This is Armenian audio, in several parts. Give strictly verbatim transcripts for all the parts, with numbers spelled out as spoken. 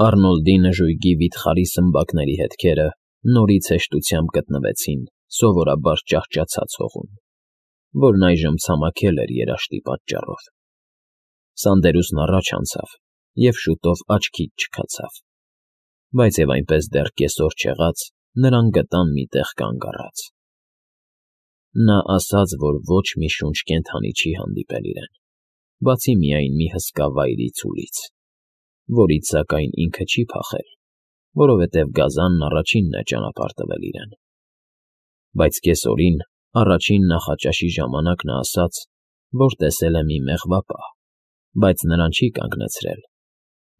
Առնոլդի նժույգի վիթխարի սմբակների հետքերը նորից հեշտությամբ գտնվեցին սովորաբար ճահճացած հողում, որն այժմ ցամաքել էր երաշտի պատճառով։ Սանդերուսն առաջ անցավ և շուտով աչքից չքացավ, բայց և այնպես դեռ կեսօր չեղած նրան գտան մի տեղ կանգ առած։ Նա ասաց, որ ոչ մի շունչ կենդանի չի հանդիպել իրեն, բացի միայն մի հսկա վայրի ցուլից, որից, սակայն, ինքը չի փախել, որովհետև գազանն առաջինն է ճանապարհ տվել իրեն։ Բայց կեսօրին, առաջին նախաճաշի ժամանակ նա ասաց, որ տեսել է մի մեղվապահ, բայց նրան չի կանգնեցրել,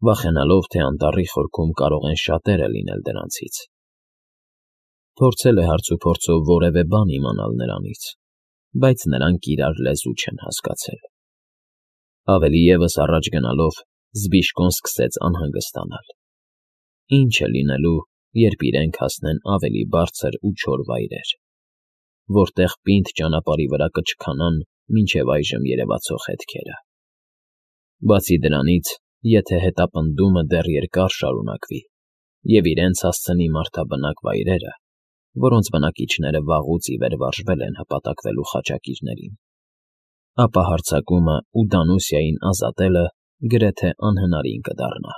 վախենալով, թե անտառի խորքում կարող են շատերը լինել դրանցից։ Փորձել է հարցուփորձով որևէ բան իմանալ նրանից, բայց նրանք իրար լեզու չեն հասկացել։ Ավելի ևս առաջ գնալով՝ Զբիշկոն սկսեց անհանգստանալ. ինչ է լինելու, երբ իրենք հասնեն ավելի բարձր ու չոր վայրեր, որտեղ պինդ ճանապարհի վրա կչքանան մինչև այժմ երևացող հետքերը։ Բացի դրանից, եթե հետապնդումը դեռ երկար շարունակվի և իրենց հասցնի մարդաբնակ վայրերը, որոնց բնակիչները վաղուց ի վեր վարժվել են հպատակվելու խաչակիրներին, ապա հարձակումն ու Դանուսիային ազատելը գրեթե անհնարին կդառնա։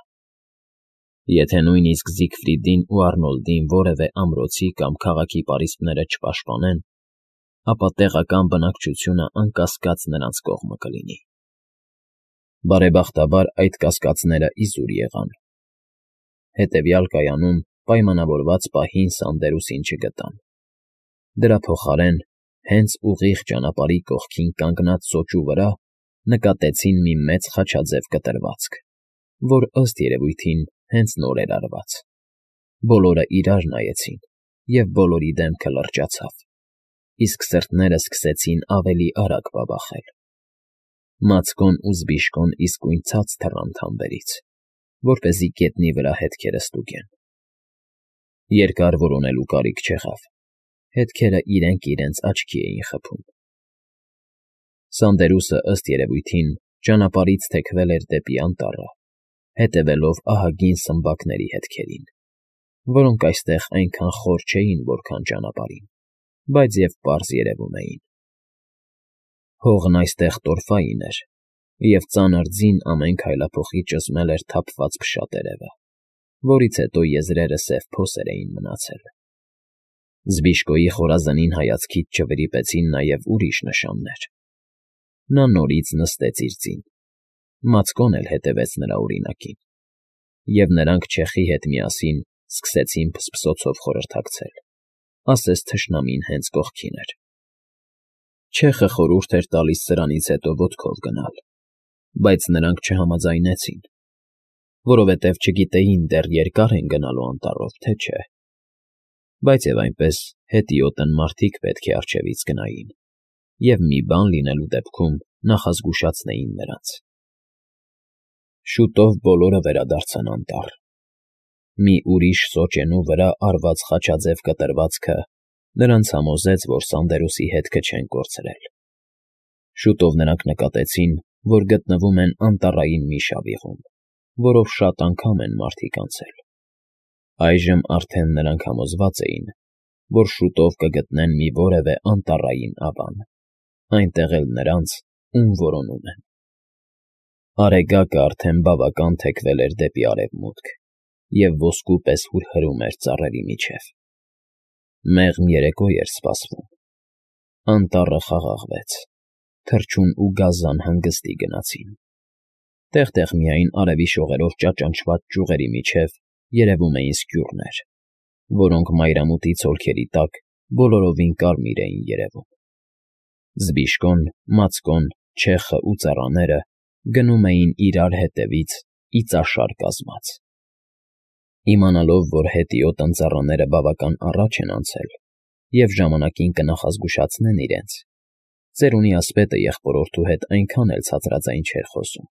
Եթե նույնիսկ Զիգֆրիդին ու Առնոլդին որևէ ամրոցի կամ քաղաքի պարիսպները չպաշտպանեն, ապա տեղական բնակչությունը անկասկած նրանց կողմը կլինի։ Բարեբախտաբար այդ կասկածները իզուր եղան։ Հետևյալ կայանում պայմանավորված պահին Սանդերուսին չգտան։ Դրա փոխարեն, հենց ուղիղ ճանապարհի կողքին կանգնած սոճու վրա նկատեցին մի մեծ խաչաձև կտրվածք, որ, ըստ երևույթին, հենց նոր էր արված։ Բոլորը իրար նայեցին, և բոլորի դեմքը լրջացավ, իսկ սրտները սկսեցին ավելի արագ բաբախել։ Մացկոն ու Զբիշկոն իսկույն ցած թռան թամբերից, որպեսզի գետնի վրա հետքերը ստուգեն։ Երկար որոնելու կարիք չեղավ, հետքերը իրենք իրենց աչքի էին խփում։ Սանդերուսը, ըստ երևույթին, ճանապարհից թեքվել էր դեպի անտառը, հետևելով ահագին սմբակների հետքերին, որոնք այստեղ այնքան խոր չէին, որքան ճանապարհին, բայց և պարզ երևում էին։ Հողն այստեղ տորֆային էր, և ծանր ձին ամեն քայլափոխի ճզմել էր թափված փշատերևը, որից հետո եզրերը սև փոսեր էին մնացել։ Զբիշկոյի խորազնին հայացքից չվրիպեցին նաև ուրիշ նշաններ։ Նա նորից նստեց իր ձին, Մացկոն էլ հետևեց նրա օրինակին, և նրանք չեխի հետ միասին սկսեցին փսփսոցով խորհրդակցել, ասես թշնամին հենց կողքին էր։ Չեխը խորհուրդ էր տալիս սրանից հետո ոտքով գնալ, բայց նրանք չհամաձայնեցին, որովհետև չգիտեին դեռ երկա՞ր են գնալու անտառով, թե չէ։ Բայց և այնպես հետիոտն մարդիկ պետք է առջևից գնային, և մի բան լինելու դեպքում նախազգուշացնեին նրանց։ Շուտով բոլորը վերադարձան անտառ։ Մի ուրիշ սոճենու վրա արված խաչաձև կտրվածքը նրանց համոզեց, որ Սանդերուսի հետքը չեն կորցրել։ Շուտով նրանք նկատեցին, որ գտնվում են անտառային մի շավիղում, որով շատ անգամ են մարդիկ անցել։ Այժմ արդեն նրանք համոզված էին, որ շուտով կգտնեն մի որևէ անտառային ավան, այնտեղ էլ նրանց, ում որոնում են։ Արեգակը արդեն բավական թեքվել էր դեպի արևմուտք և ոսկու պես հուրհրում էր ծառերի միջև։ Մեղմ երեկո էր սպասվում։ Անտառը խաղաղվեց, թռչուն ու գազան հանգստի գնացին։ Տեղ֊տեղ միայն արևի շողերով ճաճանչված ճյուղերի միջև երևում էին սկյուռներ, որոնք մայրամուտի ցոլքերի տակ բոլորովին կարմիր էին երևում։ Զբիշկոն, Մացկոն, չեխն ու ծառաները գնում էին իրար հետևից իծաշար կազմած։ Իմանալով, որ հետիոտն ծառաները բավական առաջ են անցել և ժամանակին կնախազգուշացնեն իրենց, ծերունի ասպետը եղբորորդու հետ այնքան էլ ցածրաձայն չէր խոսում։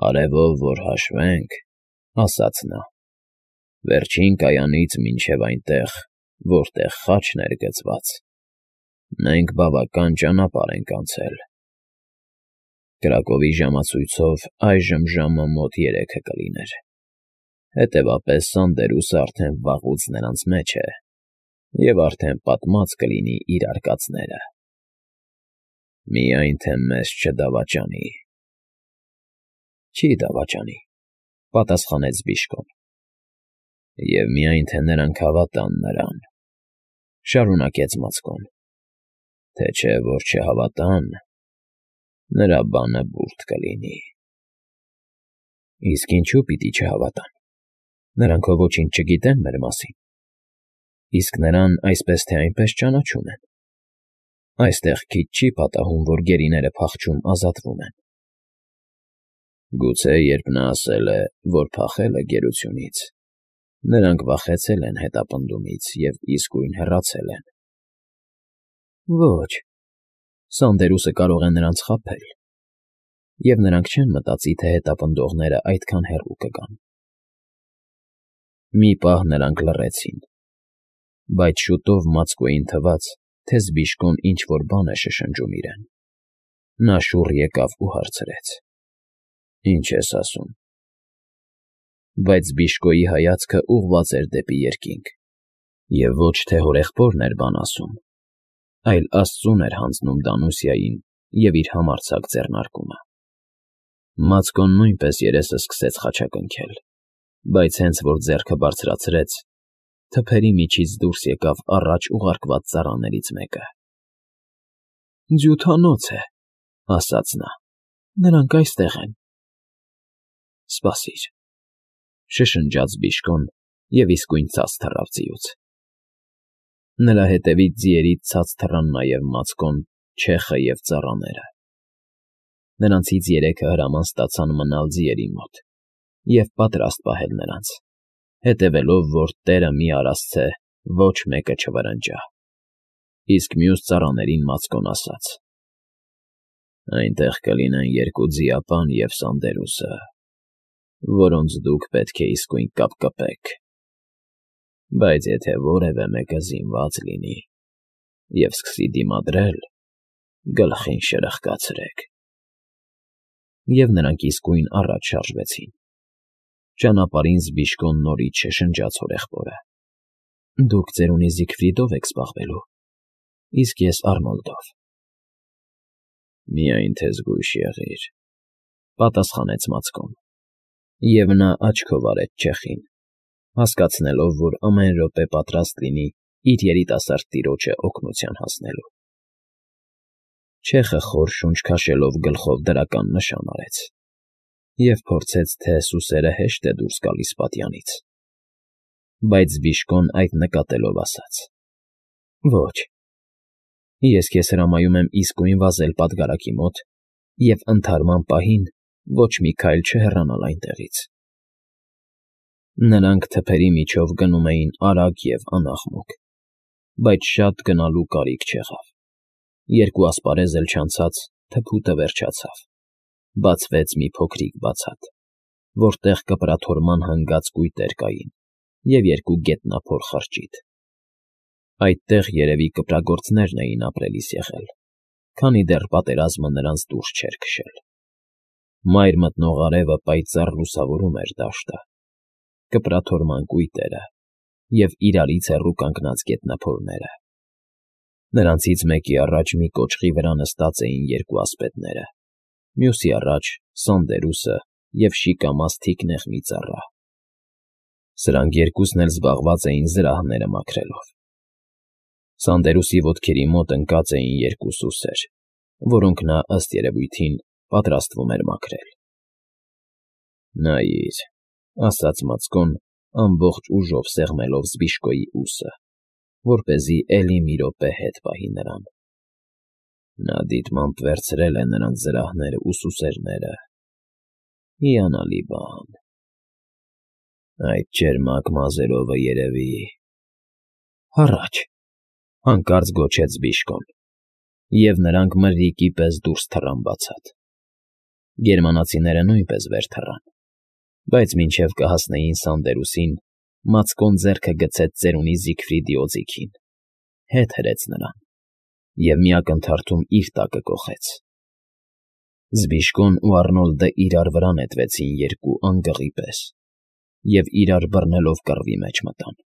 «Արևով որ հաշվենք,֊ ասաց նա,֊ վերջին կայանից մինչև այնտեղ, որտեղ խաչն էր գծված, մենք բավական ճանապարհ ենք անցել։ Կրակովի ժամացույցով այժմ ժամը մոտ երեքը կլիներ։ Հետևաբար Սանդերուսը արդեն վաղուց նրանց մեջ է և արդեն պատմած կլինի իր արկածները։ Միայն թե մեզ չդավաճանի։ ֊ Չի դավաճանի,֊ պատասխանեց Բիժկոն։ ֊ Եվ միայն թե նրանք հավատան նրան,֊ շարունակեց Մածկոն,֊ թե չէ որ չհավատան, նրա բանը բուրդ կլինի։ ֊ Իսկ ինչո՞ւ պիտի չհավատան։ Նրանք հո ոչինչ չգիտեն մեր մասին, իսկ նրան այսպես թե այնպես ճանաչում են։ Այստեղ քիչ չի պատահում, որ գերիները փախչում ազատվում են։ Գուցե երբ նա ասել է, որ փախել է գերությունից, նրանք վախեցել են հետապնդումից և իսկույն հեռացել են։ ֊ Ոչ, Սանդերուսը կարող է նրանց խաբել, և նրանք չեն մտածի, թե հետապնդողները այդքան հեռու կգան։ Մի պահ նրանք լռեցին, բայց շուտով Մածկոյին թվաց, թե Զբիժկոն ինչ֊որ բան է շշնջում իրեն։ Նա շուռ եկավ ու հարցրեց. ֊ Ի՞նչ ես ասում։ Բայց Բիժկոյի հայացքը ուղղված էր դեպի երկինք, և ոչ թե հորեղբորն էր բան ասում, այլ աստծուն էր հանձնում Դանուսիային և իր համարձակ ձեռնարկումը։ Մածկոն նույնպես երեսը սկսեց խաչակնքել, բայց հենց որ ձեռքը բարձրացրեց, թփերի միջից դուրս եկավ առաջ ուղարկված ծառաներից մեկը։ ֊ Ձյութանոց է,֊ ասաց նա,֊ նրանք այստեղ են։ ֊ Սպասիր,֊ շշնջաց Բիժկոն և իսկույն ցած թռավ ձիուց։ Նրա հետևից ձիերից ցած թռան նաև Մածկոն, Չեխը և ծառաները։ Նրանցից երեքը հրաման ստացան մնալ ձիերի մոտ և պատրաստ պահել նրանց, հետևելով, որ տերը մի արասցե ոչ մեկը չվրընջա։ Իսկ մյուս ծառաներին Մածկոն ասաց. «Այնտեղ կլինեն երկու ձիապան և Սանդերուսը, որոնց դուք պետք է իսկույն կապկպեք, բայց եթե որևէ մեկը զինված լինի և սկսի դիմադրել, գլխին շրխկացրեք»։ Եվ նրանք իսկույն առաջ շարժվեցին։ Ճանապարհին Զբիժկոն նորից շշնջաց հորեղբորը. ֊ Դուք ծերունի Զիգֆրիդով եք զբաղվելու, իսկ ես Արնոլդով։ ֊ Միայն թե զգույշ եղիր,֊ պատասխանեց Մածկոն, և նա աչքով արեց չեխին, հասկացնելով, որ ամեն րոպե պատրաստ լինի իր երիտասարդ տիրոջը օգնության հասնելու։ Չեխը խոր շունչ քաշելով գլխով դրական նշան արեց և փորձեց, թե սուսերը հեշտ է դուրս գալիս պատյանից։ Բայց Զբիժկոն այդ նկատելով ասաց. ֊ Ոչ, ես քեզ հրամայում եմ իսկույն վազել պատգարակի մոտ և ընդհարման պահին ոչ մի քայլ չհեռանալ այնտեղից։ Նրանք թփերի միջով գնում էին արագ և անաղմուկ, բայց շատ գնալու կարիք չեղավ։ Երկու ասպարեզ էլ չանցած թփուտը վերջացավ, բացվեց մի փոքրիկ բացատ, որտեղ կպրաթորման հանգած կույտեր կային և երկու գետնափոր խրճիթ։ Այդտեղ երևի կպրագործներն էին ապրելիս եղել, քանի դեռ պատերազմը նրանց դուրս չէր քշել։ Մայր մտնող արևը պայծառ լուսավորում էր դաշտը, կպրաթորման կույտերը և իրարից հեռու կանգնած գետնափորները։ Նրանցից մեկի առաջ մի կոճղի վրա նստած էին երկու ասպետները, մյուսի առաջ Սանդերուսը և շիկամազ թիկնեղ մի ծառա։ Սրանք երկուսն էլ զբաղված էին զրահները մաքրելով։ Սանդերուսի ոտքերի մոտ ընկած էին երկու սուսեր, որոնք նա, ըստ երևույթին, պատրաստվում էր մաքրել։ ֊ Նայիր,֊ ասաց Մածկոն, ամբողջ ուժով սեղմելով Զբիժկոյի ուսը, որպեսզի էլի մի րոպե հետ պահի նրան։ Նա դիտմամբ վերցրել է նրանց զրահներն ու սուսերները։ Հիանալի բան։ Այդ ճերմակ մազերովը երևի… Հառաչ,֊ հանկարծ գոչեց Զբիժկոն, և նրանք մրրիկի պես դուրս թռան բացատ։ Գերմանացիները նույնպես վեր թռան, բայց մինչև կհասնեին Սանդերուսին, Մածկոն ձեռքը գցեց ծերունի Զիգֆրիդի օձիքին, հետ հրեց նրան և մի ակնթարթում իր տակը կոխեց։ Զբիժկոն ու Առնոլդը իրար վրա նետվեցին երկու անգղի պես, և իրար բռնելով կռվի մեջ մտան։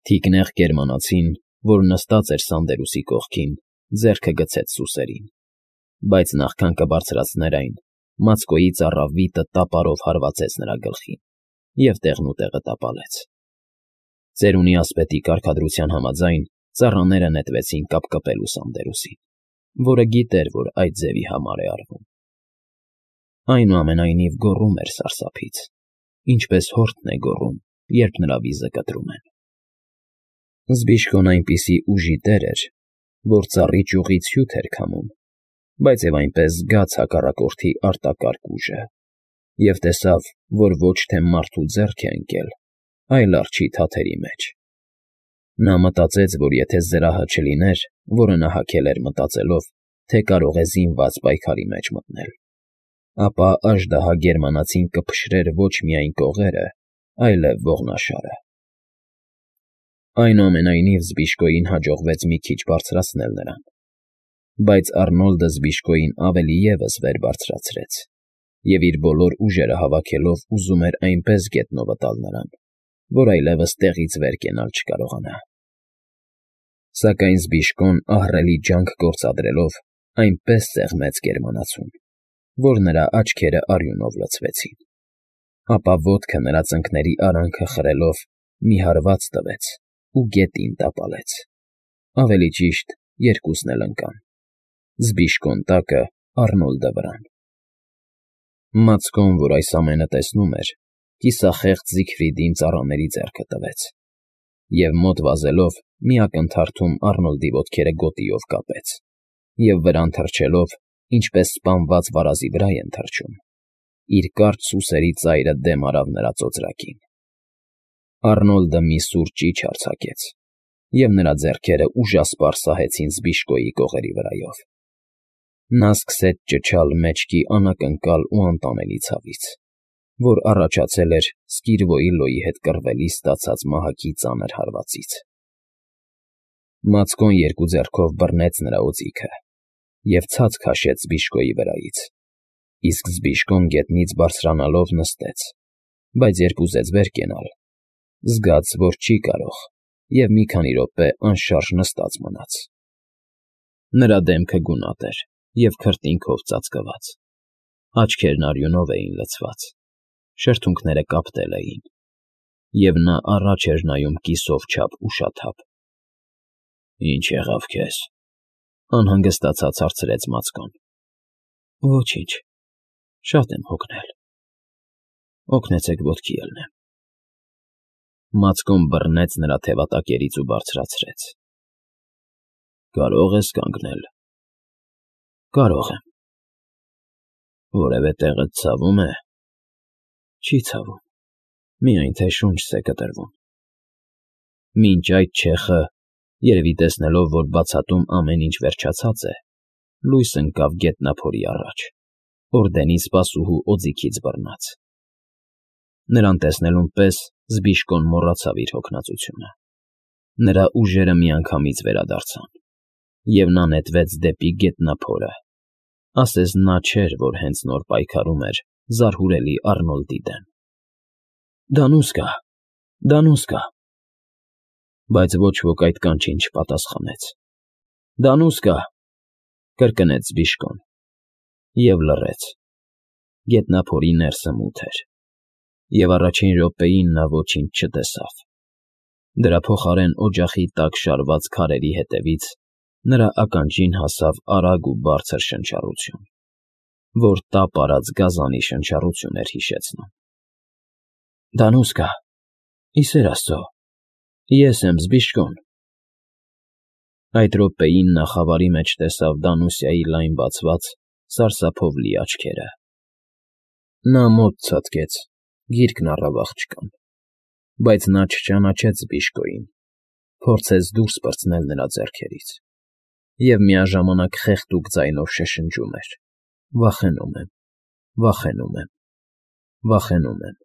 Թիկնեղ գերմանացին, որ նստած էր Սանդերուսի կողքին, ձեռքը գցեց սուսերին, բայց նախքան կբարձրացներ այն, Մացկոյի ծառավիտը տապարով հարվածեց նրա գլխին և տեղնուտեղը տապալեց։ Ծերունի ասպետի կարգադրության համաձայն ծառաները նետվեցին կապկպելու Սանդերուսին, որը գիտեր, որ այդ ձևի համար է արվում։ Այնուամենայնիվ գոռում էր սարսափից, ինչպես հորթն է գոռում, երբ նրա վիզը կտրում են։ Զբիշկոն այնպիսի ուժի տեր էր, որ ծառի ճյուղից հյութ էր քամում, բայց և այնպես զգաց հակառակորդի արտակարգ ուժը և տեսավ, որ ոչ թե մարդու ձեռք է ընկել, այլ արջի թաթերի մեջ։ Նա մտածեց, որ եթե զրահը չլիներ, որը նա հագել էր մտածելով, թե կարող է զինված պայքարի մեջ մտնել, ապա աժդահա գերմանացին կփշրեր ոչ միայն կողերը, այլև ողնաշարը։ Այնուամենայնիվ Զբիշկոյին հաջողվեց մի քիչ բարձրացնել նրան, բայց Առնոլդը Զբիշկոյին ավելի ևս վեր բարձրացրեց և իր բոլոր ուժերը հավաքելով ուզում էր այնպես գետնովը տալ նրան, որ այլևս տեղից վեր կենալ չկարողանա։ Սակայն Զբիշկոն ահռելի ջանք գործադրելով այնպես սեղմեց գերմանացուն, որ նրա աչքերը արյունով լցվեցին, ապա ոտքը նրա ծնկների արանքը խրելով մի հարված տվեց ու գետին տապալեց, ավելի ճիշտ երկուսն էլ ընկան՝ Զբիշկոն տակը, Առնոլդը վրան։ Մացկոն, որ այս ամենը տեսնում էր, կիսախեղճ Զիգֆրիդին ծառաների ձեռքը տվեց և մոտ վազելով մի ակնթարթում Առնոլդի ոտքերը գոտիով կապեց և վրան թռչելով, ինչպես սպանված վարազի վրա են թռչում, իր կարճ սուսերի ծայրը դեմ արավ նրա ծոծրակին։ Առնոլդը մի սուր ճիչ արձակեց, և նրա ձեռքերը ուժասպառ սահեցին Զբիշկոյի կողերի վրայով։ Նա սկսեց ճչալ մեջքի անակնկալ ու անտանելի ցավից, որ առաջացել էր Սկիրվոյի հետ կռվելիս ստացած մահակի ծանր հարվածից։ Մացկոն երկու ձեռքով բռնեց նրա օձիքը և ցած քաշեց Զբիշկոյի վրայից, իսկ Զբիշկոն գետնից բարձրանալով նստեց, բայց երբ ուզեց վեր կենալ, զգաց, որ չի կարող և մի քանի րոպե անշարժ նստած մնաց։ Նրա դեմքը գունատ էր և քրտինքով ծածկված, աչքերն արյունով էին լցված, շրթունքները կապտել էին, և նա առաջ էր նայում կիսով չափ ուշաթափ։ ֊ Ի՞նչ եղավ քեզ,֊ անհանգստացած հարցրեց Մացկոն։ ֊ Ոչինչ, շատ եմ հոգնել, օգնեցեք ոտքի ելնեմ։ Մացկոն բռնեց նրա թևատակերից ու բարձրացրեց։ ֊ Կարո՞ղ ես կանգնել։ ֊ Կարող եմ։ ֊ Որևէ տեղդ ցավում է։ ֊ Չի ցավում, միայն թե շունչս է կտրվում։ Մինչ այդ չեխը, երևի տեսնելով, որ բացատում ամեն ինչ վերջացած է, լույս ընկավ գետնափորի առաջ, օրդենի սպասուհու օձիքից բռնած։ Նրան տեսնելուն պես Զբիշկոն մոռացավ իր հոգնածությունը։ Նրա ուժերը միանգամից վերադարձան, և նա նետվեց դեպի գետնափորը, ասես նա չէր, որ հենց նոր պայքարում էր զարհուրելի Առնոլդի դեմ։ «Դանուսկա, Դանուսկա…» Բայց ոչ ոք այդ կանչին չպատասխանեց։ «Դանուսկա…» կրկնեց Զբիշկոն և լռեց։ Գետնափորի ներսը մութ էր, և առաջին րոպեին նա ոչինչ չտեսավ։ Դրա փոխարեն օջախի տակ շարված քարերի ետևից նրա ականջին հասավ արագ ու բարձր շնչառություն, որ տապ արած գազանի շնչառություն էր հիշեցնում։ «Դանուսկա, ի սեր Աստծո, ես եմ Զբիշկոն…» Այդ րոպեին նա խավարի մեջ տեսավ Դանուսիայի լայն բացված, սարսափով լի աչքերը։ Նա մոտ ցատկեց, գիրկն առավ աղջկան, բայց նա չճանաչեց Զբիշկոյին, փորձեց դուրս պրծնել նրա ձեռքերից և միաժամանակ խեղդուկ ձայնով շշնջում էր. «Վախենում եմ, վախենում եմ, վախենում եմ»։